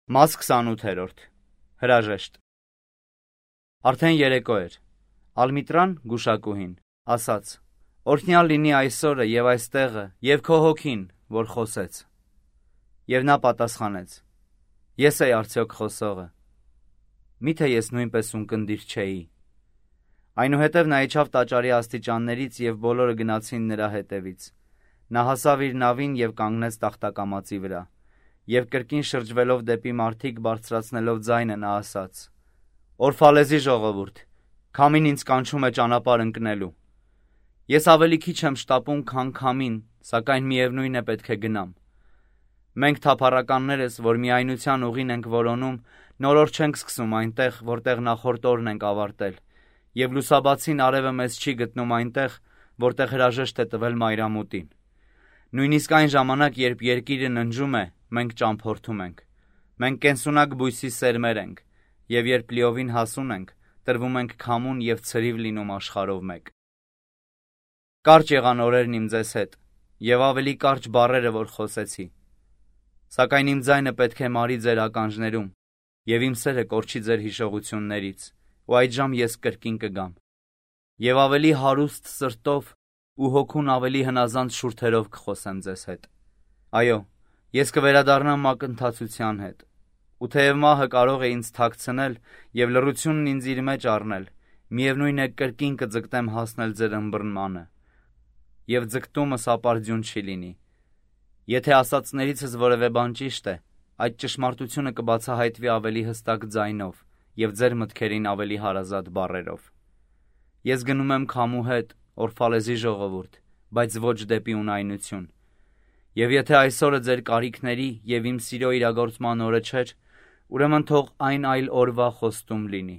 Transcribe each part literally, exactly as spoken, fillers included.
Մաս քսանութերորդ Հրաժեշտ Արդեն երեկո էր, Ալմիտրան գուշակուհին ասաց. Օրհնյալ լինի այսօրը և այստեղը և քո հոգին, որ խոսեց։ Եվ նա պատասխանեց. Ես էի արդյոք խոսողը։ Միթե ես նույնպես ունկնդիր չէի։ Այնուհետև նա իջավ տաճարի աստիճաններից և բոլորը գնացին նրա հետևից։ Նա հասավ իր նավին և կանգնեց տախտակամածի վրա։ Եվ կրկին շրջվելով դեպի մարդիկ բարձրացնելով ձայնը նա ասաց. Օրֆալեզի ժողովուրդ, քամին ինձ կանչում է ճանապարհ ընկնելու։ Ես ավելի քիչ եմ շտապում, քան քամին, սակայն միևնույն է պետք է գնամ։ Մենք թափառականներս, որ միայնության ուղին ենք որոնում, նորորդ չենք սկսում այնտեղ, որտեղ նախորդ օրն ենք ավարտել, և լուսաբացին արևը մեզ չի գտնում այնտեղ, որտեղ հրաժեշտ է տվել մայրամուտին։ Նույնիսկ այն ժամանակ, երբ երկիրը ննջում է, մենք ճամփորդում ենք։ Մենք կենսունակ բույսի սերմեր ենք, և երբ լիովին հասուն ենք, տրվում ենք քամուն և ցրիվ լինում աշխարհով մեկ։ Կարճ եղան օրերն իմ ձեզ հետ, և ավելի կարճ բառերը, որ խոսեցի։ Սակայն իմ ձայնը պետք է մարի ձեր ականջներում, և իմ սերը կորչի ձեր հիշողություններից, ու այդժամ ես կրկին կգամ։ Եվ ավելի հարուստ սրտով ու հոգուն ավելի հնազանդ շուրթերով կխոսեմ ձեզ հետ։ Այո, ես կվերադառնամ մակընթացության հետ։ Ու թեև մահը կարող է ինձ թաքցնել և լռությունն ինձ իր մեջ առնել, միևնույն է կրկին կձգտեմ հասնել ձեր ըմբռնմանը։ Եվ ձգտումս ապարդյուն չի լինի։ Եթե ասածներիցս որևէ բան ճիշտ է, այդ ճշմարտությունը կբացահայտվի ավելի հստակ ձայնով և ձեր մտքերին ավելի հարազատ բառերով։ Ես գնում եմ քամու հետ, Օրֆալեզի ժողովուրդ, բայց ոչ դեպի ունայնություն։ Եվ եթե այսօրը ձեր կարիքների և իմ սիրո իրագործման օրը չէր, ուրեմն թող այն այլ օրվա խոստում լինի։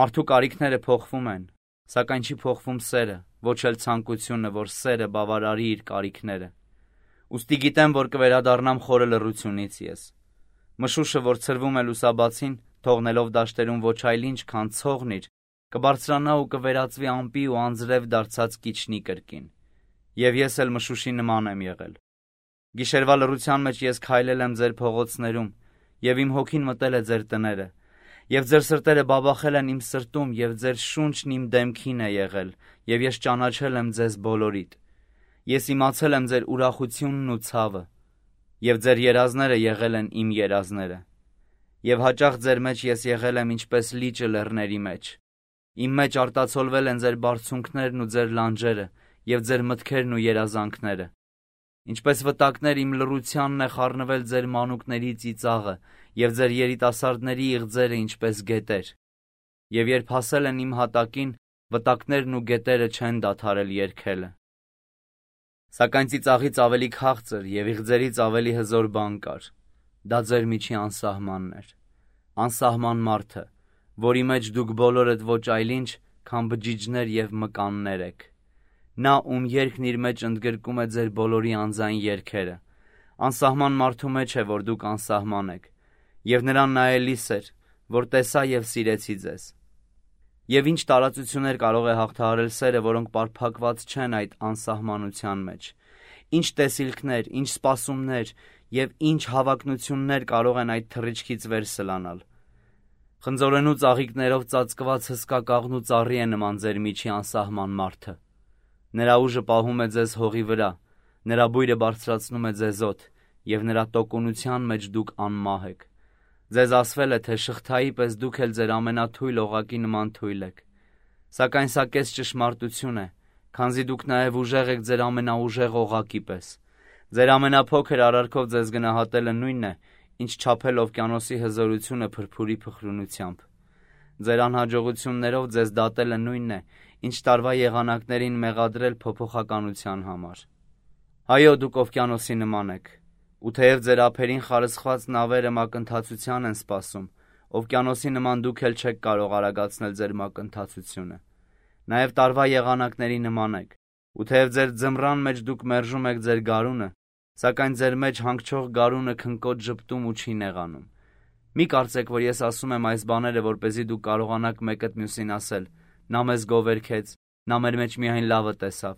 Մարդու կարիքները փոխվում են, սակայն չի փոխվում սերը, ոչ էլ ցանկությունը, որ սերը բավարարի իր կարիքները։ Ուստի գիտեմ, որ կվերադառնամ խորը լռությունից ես։ Մշուշը, որ ցրվում է լուսաբացին, թողնելով դաշտերում ոչ այլ ինչ, քան ցողն իր, կբարձրանա ու կվերածվի ամպի ու անձրև դարձած կիչնի կրկին։ Եվ ես էլ մշուշի նման եմ եղել։ Գիշերվա լռության մեջ ես քայլել եմ ձեր փողոցներում, և իմ հոգին մտել է ձեր տները, և ձեր սրտերը բաբախել են իմ սրտում, և ձեր շունչն իմ դեմքին է եղել, և ես ճանաչել եմ ձեզ բոլորիդ։ Ես իմացել եմ ձեր ուրախությունն ու ցավը, և ձեր երազները եղել են իմ երազները։ Եվ հաճախ ձեր մեջ ես եղել եմ ինչպես լիճը լեռների մեջ։ Իմ մեջ արտացոլվել են ձեր բարձունքներն ու ձեր լանջերը, և ձեր մտքերն ու երազանքները։ Ինչպես վտակներ իմ լռությանն է խառնվել ձեր մանուկների ծիծաղը, և ձեր երիտասարդների իղձերը ինչպես գետեր։ Եվ երբ հասել են իմ հատակին, վտակներն ու գետերը չեն դադարել երգելը։ Սակայն ծիծաղից ավելի քաղցր և իղձերից ավելի հզոր բան կար։ Դա ձեր միջի անսահմանն էր։ Անսահման մարդը, որի մեջ դուք բոլորդ ոչ այլ ինչ, քան բջիջներ և մկաններ եք։ Նա, ում երգն իր մեջ ընդգրկում է ձեր բոլորի անձային երգերը։ Անսահման մարդու մեջ է, որ դուք անսահման եք, և նրան նայելիս էր, որ տեսա և սիրեցի ձեզ։ Եվ ինչ տարածություններ կարող է հաղթահարել սերը, որոնք պարփակված չեն այդ անսահմանության մեջ։ Ինչ տեսիլքներ, ինչ սպասումներ և ինչ հավակնություններ կարող են այդ թռիչքից վեր սլանալ։ Խնձորենու ծաղիկներով ծածկված հսկա կաղնու ծառի է նման ձեր միջի անսահման մարդը։ Նրա ուժը պահում է ձեզ հողի վրա, նրա բույրը բարձրացնում է ձեզ օդ, և նրա տոկունության մեջ դուք անմահ եք։ Ձեզ ասվել է, թե շղթայի պես դուք էլ ձեր ամենաթույլ օղակի նման թույլ եք։ Սակայն սա կես ճշմարտություն է, քանզի դուք նաև ուժեղ եք ձեր ամենաուժեղ օղակի պես։ Ձեր ամենափոքր արարքով ձեզ գնահատելը նույնն է, ինչ չափել օվկիանոսի հզորությունը փրփուրի փխրունությամբ։ Ձեր անհաջողություններով ձեզ դատելը նույնն է, ինչ տարվա եղանակներին մեղադրել փոփոխականության համար։ Այո, դուք օվկիանոսի նման եք, ու թեև ձեր ափերին խարսխված նավերը մակընթացության են սպասում, օվկիանոսի նման դուք էլ չեք կարող արագացնել ձեր մակընթացությունը։ Նաև տարվա եղանակների նման եք, ու թեև ձեր ձմռան մեջ դուք մերժում եք ձեր գարունը, սակայն ձեր մեջ հանգչող գարունը քնկոտ ժպտում ու չի նեղանում։ Մի կարծեք, որ ես ասում եմ այս բաները, որպեսզի դուք կարողանաք մեկդ մյուսին ասել. նա մեզ գովերգեց, նա մեր մեջ միայն լավը տեսավ։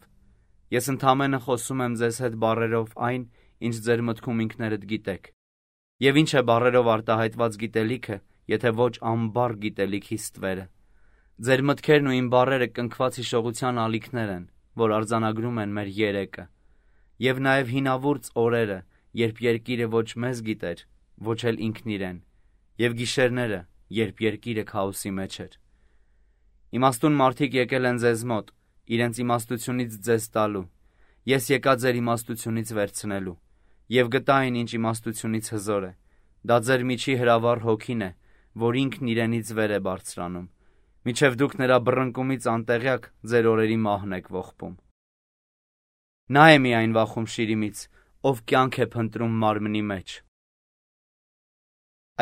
Ես ընդամենը խոսում եմ ձեզ հետ բառերով այն, ինչ ձեր մտքում ինքներդ գիտեք։ Եվ ինչ է բառերով արտահայտված գիտելիքը, եթե ոչ ամբար գիտելիքի ստվերը։ Ձեր մտքերն ու իմ բառերը կնքված հիշողության ալիքներ են, որ արձանագրում են մեր երեկը, եւ նաեւ հինավուրց օրերը, երբ երկիրը ոչ մեզ գիտեր, ոչ էլ ինքն իրեն, եւ գիշերները, երբ երկիրը քաոսի մեջ էր։ Իմաստուն մարդիկ եկել են ձեզ մոտ, իրենց իմաստությունից ձեզ տալու, ես եկա ձեր իմաստությունից վերցնելու, եւ գտա այն, ինչ իմաստությունից հզոր է, դա ձեր միջի հրավառ հոգին է, որ ինքն իրենից վեր է բարձրանում, միջև դուք նրա բռնկումից անտեղյակ ձեր օրերի մահն եք ողբում։ Նա է միայն վախում շիրիմից, ով կյանք է փնտրում մարմնի մեջ։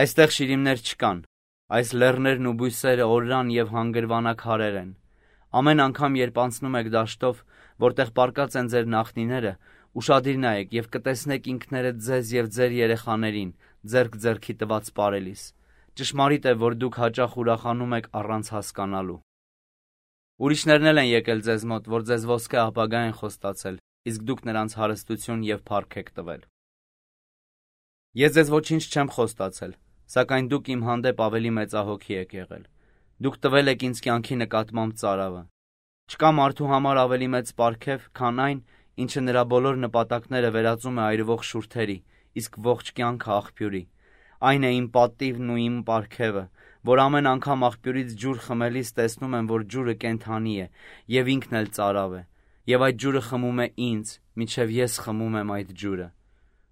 Այստեղ շիրիմներ չկան, այս լեռներն ու բույսերը օրրան եւ հանգրվանաքարեր են։ Ամեն անգամ, երբ անցնում եք դաշտով, որտեղ պառկած են ձեր նախնիները, ուշադիր նայեք եւ կտեսնեք ինքներդ ձեզ եւ ձեր երեխաներին, ձեռք ձեռքի տված պարելիս։ Ճշմարիտ է, որ դուք հաճախ ուրախանում եք առանց հասկանալու։ Ուրիշներն էլ են եկել ձեզ մոտ, որ ձեզ ոսկե ապագա են խոստացել, իսկ դուք նրանց հարստություն եւ փառք եք տվել։ Ես ձեզ ոչինչ չեմ խոստացել, սակայն դուք իմ հանդեպ ավելի մեծահոգի եք եղել։ Դուք տվել եք ինձ կյանքի նկատմամբ ծարավը։ Չկա մարդու համար ավելի մեծ պարգև, քան այն, ինչը նրա բոլոր նպատակները վերածում է այրվող շուրթերի, իսկ ողջ կյանքը աղբյուրի։ Այն է իմ պատիվն ու իմ պարգևը, որ ամեն անգամ աղբյուրից ջուր խմելիս տեսնում եմ, որ ջուրը կենդանի է եւ ինքն էլ ծարավ է, եւ այդ ջուրը խմում է ինձ, մինչեւ ես խմում եմ այդ ջուրը։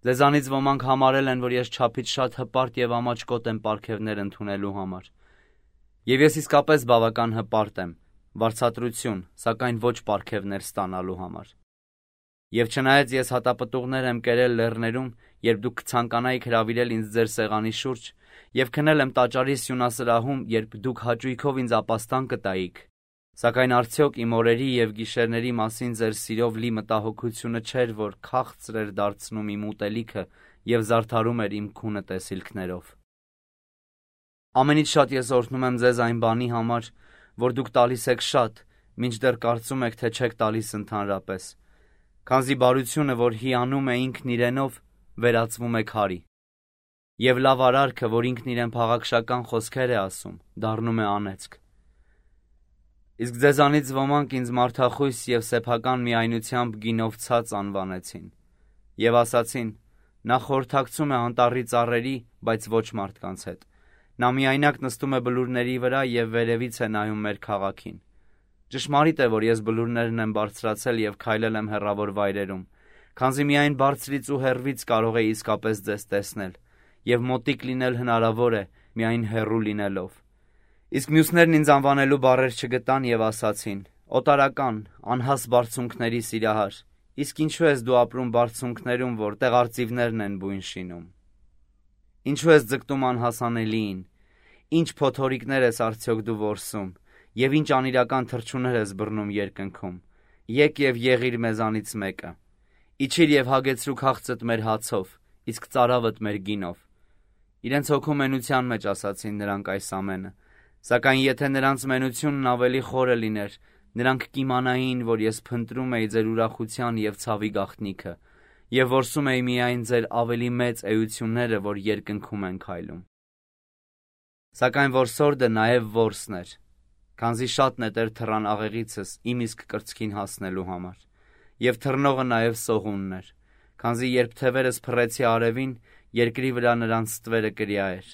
Ձեզանից ոմանք համարել են, որ ես չափից շատ հպարտ եւ ամաչկոտ եմ պարգևներ ընդունելու համար։ Եվ ես իսկապես բավական հպարտ եմ, վարձատրություն, սակայն ոչ պարգևներ ստանալու համար։ Եվ չնայած ես հատապտուղներ եմ կերել լեռներում, երբ դուք կցանկանայիք հրավիրել ինձ ձեր սեղանի շուրջ, եւ քնել եմ տաճարի սյունասրահում, երբ դուք հաճույքով ինձ ապաստան կտայիք, սակայն արդյոք իմ օրերի եւ գիշերների մասին ձեր սիրով լի մտահոգությունը չէր, որ քաղցր էր դարձնում իմ ուտելիքը եւ զարդարում էր իմ քունը տեսիլքներով։ Ամենից շատ ես օրհնում եմ ձեզ այն բանի համար, որ դուք տալիս եք շատ, մինչդեռ կարծում եք, թե չեք տալիս ընդհանրապես, քանզի բարությունը, որ հիանում է ինքն իրենով, վերածվում է քարի, եւ լավ արարքը, որ ինքն իրեն փաղաքշական խոսքեր է ասում, դառնում է անեծք։ Իսկ ձեզանից ոմանք ինձ մարդախույս եւ սեփական միայնությամբ գինովցած անվանեցին եւ ասացին. նա խորհրդակցում է անտառի ծառերի, բայց ոչ մարդկանց հետ։ Նա միայնակ նստում է բլուրների վրա եւ վերևից է նայում մեր քաղաքին։ Ճշմարիտ է, որ ես բլուրներն եմ բարձրացել եւ քայլել եմ հեռավոր վայրերում, քանզի միայն բարձրից ու հեռվից կարող է իսկապես ձեզ տեսնել, եւ մոտիկ լինել հնարավոր է միայն հեռու լինելով։ Իսկ մյուսներն ինձ անվանելու բառեր չգտան եւ ասացին. օտարական, անհաս բարձունքների սիրահար, իսկ ինչու ես դու ապրում բարձունքներում, որտեղ արծիվներն են բույն շինում։ Ինչու ես ձգտում անհասանելիին, ինչ փոթորիկներ ես արդյոք դու որսում, եւ ինչ անիրական թռչուներ ես բռնում երկնքում։ Եկ եւ եղիր մեզանից մեկը։ Իջիր եւ հագեցրու քաղցդ մեր հացով, իսկ ծարավդ մեր գինով։ Իրենց հոգու մենության մեջ ասացին նրանք այս ամենը, սակայն եթե նրանց մենությունն ավելի խորը լիներ, նրանք կիմանային, որ ես փնտրում էի ձեր ուրախության եւ ցավի գաղտնիքը, եւ որսում էի միայն ձեր ավելի մեծ էությունները, որ երկնքում են քայլում։ Սակայն որսորդը նաեւ որսն էր, քանզի շատ նետեր թռան աղեղիցս իմ իսկ կրծքին հասնելու համար, եւ թռնողը նաեւ սողունն էր, քանզի երբ թևերս փռեցի արևին, երկրի վրա նրանց ստվերը կրյա էր։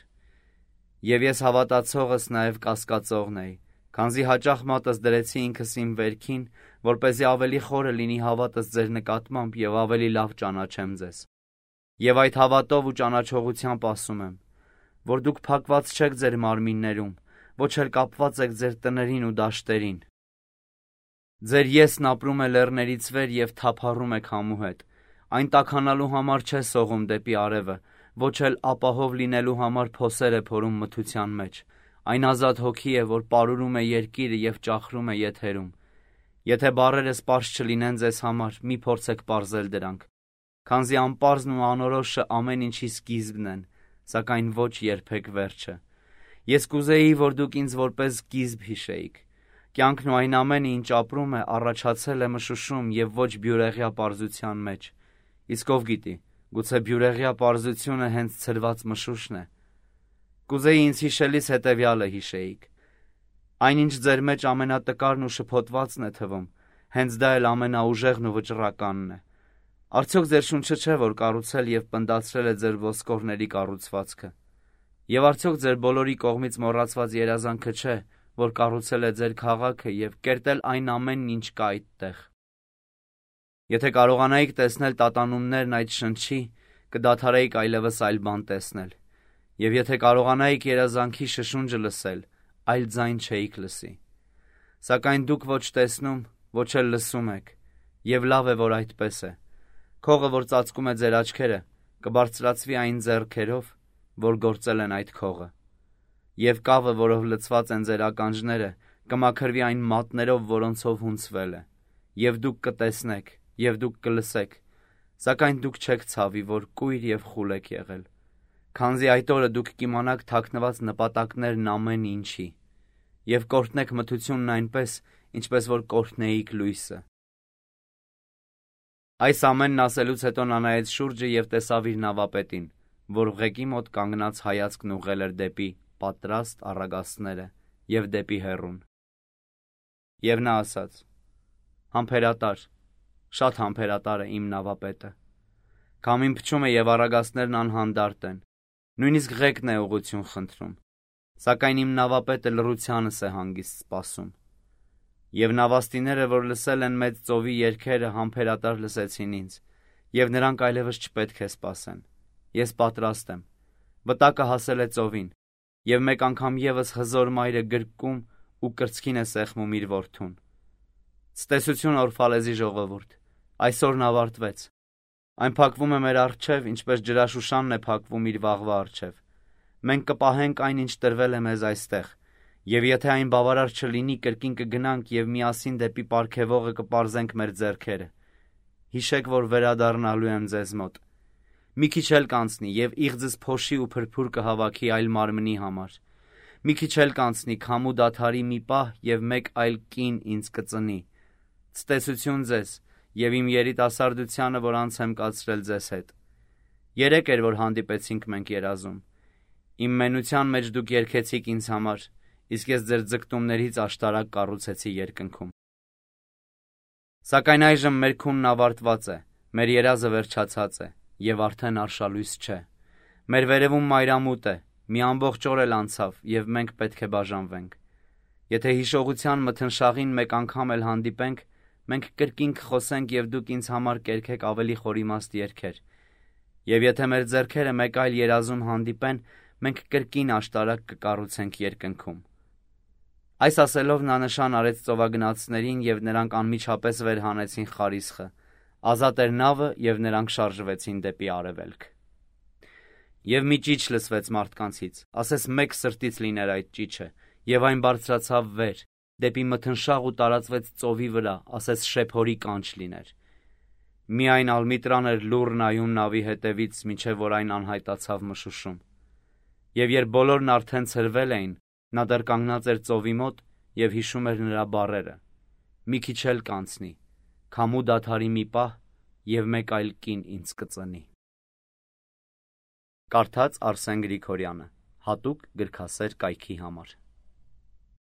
Եվ ես հավատացողս նաեւ կասկածողն էի, քանզի հաճախ մատս դրեցի ինքս իմ վերքին, որպեսզի ավելի խորը լինի հավատս ձեր նկատմամբ եւ ավելի լավ ճանաչեմ ձեզ։ Եվ այդ հավատով ու ճանաչողությամբ ասում եմ, որ դուք փակված չեք ձեր մարմիններում, ոչ էլ կապված եք ձեր տներին ու դաշտերին։ Ձեր եսն ապրում է լեռներից վեր եւ թափառում է քամու հետ, այն տաքանալու համար չէ սողում դեպի արևը, ոչ էլ ապահով լինելու համար փոսեր է փորում մթության մեջ, այն ազատ հոգի է, որ պարուրում է երկիրը եւ ճախրում է եթերում։ Եթե բառերս պարզ չլինեն ձեզ համար, մի փորձեք պարզել դրանք, քանզի անպարզն ու անորոշը ամեն ինչի սկիզբն են, սակայն ոչ երբեք վերջը։ Ես կուզեի, որ դուք ինձ որպես սկիզբ հիշեիք։ Կյանքն ու այն ամենը, ինչ ապրում է, առաջացել է մշուշում եւ ոչ բյուրեղյա պարզության մեջ։ Իսկ ով գիտի, Գուցե բյուրեղյա պարզությունը հենց ցրված մշուշն է։ Կուզեի ինձ հիշելիս հետևյալը հիշեիք. այնինչ ձեր մեջ ամենատկարն ու շփոթվածն է թվում, հենց դա էլ ամենաուժեղն ու վճռականն է։ Արդյոք ձեր շունչը չէ, որ կառուցել եւ պնդացրել է ձեր ոսկորների կառուցվածքը։ Եվ արդյոք ձեր բոլորի կողմից մոռացված երազանքը չէ, որ կառուցել է ձեր քաղաքը եւ կերտել այն ամենն, ինչ կա այդտեղ։ Եթե կարողանայիք տեսնել տատանումներն այդ շնչի, կդադարեիք այլևս այլ բան տեսնել։ Եվ եթե կարողանայիք երազանքի շշունջը լսել, այլ ձայն չէիք լսի։ Սակայն դուք ոչ տեսնում, ոչ էլ լսում եք, եւ լավ է, որ այդպես է։ Քողը, որ ծածկում է ձեր աչքերը, կբարձրացվի այն ձեռքերով, որ գործել են այդ քողը։ Եվ կավը, որով լցված են ձեր ականջները, կմաքրվի այն մատներով, որոնցով հունցվել է։ Եվ դուք կտեսնեք, եւ դուք կլսեք, սակայն դուք չեք ցավի, որ կույր եւ խուլ եք եղել, քանզի այդ օրը դուք կիմանաք թաքնված նպատակներն ամեն ինչի, եւ կորտնեք մթությունն այնպես, ինչպես որ կորտնեիք լույսը։ Այս ամենն ասելուց հետո նա նայեց շուրջը եւ տեսավ իր նավապետին, որ ղեկի մոտ կանգնած հայացքն ուղղել էր դեպի պատրաստ առագաստները եւ դեպի հեռուն։ Եվ նա ասաց. «Համբերատար, շատ համբերատար է իմ նավապետը։ Քամին փչում է եւ առագաստներն անհանդարտ են, նույնիսկ ղեկն է ուղղություն խնդրում, սակայն իմ նավապետը լռությանս է հանգիստ սպասում։ Եվ նավաստիները, որ լսել են մեծ ծովի երգերը, համբերատար լսեցին ինձ, եւ նրանք այլևս չպետք է սպասեն։ Ես պատրաստ եմ։ Վտակը հասել է ծովին, եւ մեկ անգամ եւս հզոր մայրը գրկում ու կրծքին է սեղմում իր որդուն։ Ցտեսություն Օրֆալեզի ժողովուրդ, այսօրն ավարտվեց։ Այն փակվում է մեր առջև, ինչպես ջրաշուշանն է փակվում իր վաղվա առջև։ Մենք կպահենք այն, ինչ տրվել է մեզ այստեղ, եւ եթե այն բավարար չլինի, կրկին կգնանք եւ միասին դեպի պարգևողը կպարզենք մեր ձեռքերը։ Հիշեք, որ վերադառնալու եմ ձեզ մոտ։ Մի քիչ էլ կանցնի եւ իղձս փոշի ու փրփուր կհավաքի այլ մարմնի համար։ Մի քիչ էլ կանցնի քամու դադարի մի պահ եւ մեկ այլ կին ինձ կծնի։ Ցտեսություն ձեզ եւ իմ երիտասարդությանը, որ անց եմ կացրել ձեզ հետ։ Երեք էր, որ հանդիպեցինք մենք երազում։ Իմ մենության մեջ դուք երգեցիք ինձ համար, իսկ ես ձեր ձգտումներից աշտարակ կառուցեցի երկնքում։ Սակայն այժմ մեր քունն ավարտված է, մեր երազը վերջացած է եւ արդեն արշալույս չէ։ Մեր վերևում մայրամուտ է, մի ամբողջ օր էլ անցավ եւ մենք պետք է բաժանվենք։ Եթե հիշողության մթնշաղին մեկ անգամ էլ հանդիպենք, մենք կրկին կխոսենք եւ դուք ինձ համար կերքեք ավելի խորիմաստ երգեր։ Եվ եթե մեր ձեռքերը մեկ այլ երազում հանդիպեն, մենք կրկին աշտարակ կկառուցենք երկնքում։ Այս ասելով նա նշան արեց ծովագնացներին եւ նրանք անմիջապես վեր հանեցին խարիսխը։ Ազատ էր նավը եւ նրանք շարժվեցին դեպի արևելք։ Եվ մի ճիչ լսվեց մարդկանցից, ասես մեկ սրտից լիներ այդ ճիչը, եւ այն բարձրացավ վեր, դեպի մթնշաղ ու տարածվեց ծովի վրա, ասես շեփորի կանչ լիներ։ Միայն Ալմիտրան էր լուռ նայում նավի հետևից, մինչև որ այն անհայտացավ մշուշում։ Եվ երբ բոլորն արդեն ցրվել էին, նա դեռ կանգնած էր ծովի մոտ եւ հիշում էր նրա բառերը. «Մի քիչ էլ կանցնի, քամու դադարի մի պահ եւ մեկ այլ կին ինձ կծնի»։ Կարդաց Արսեն Գրիգորյանը, հատուկ գրքասեր կայքի համար։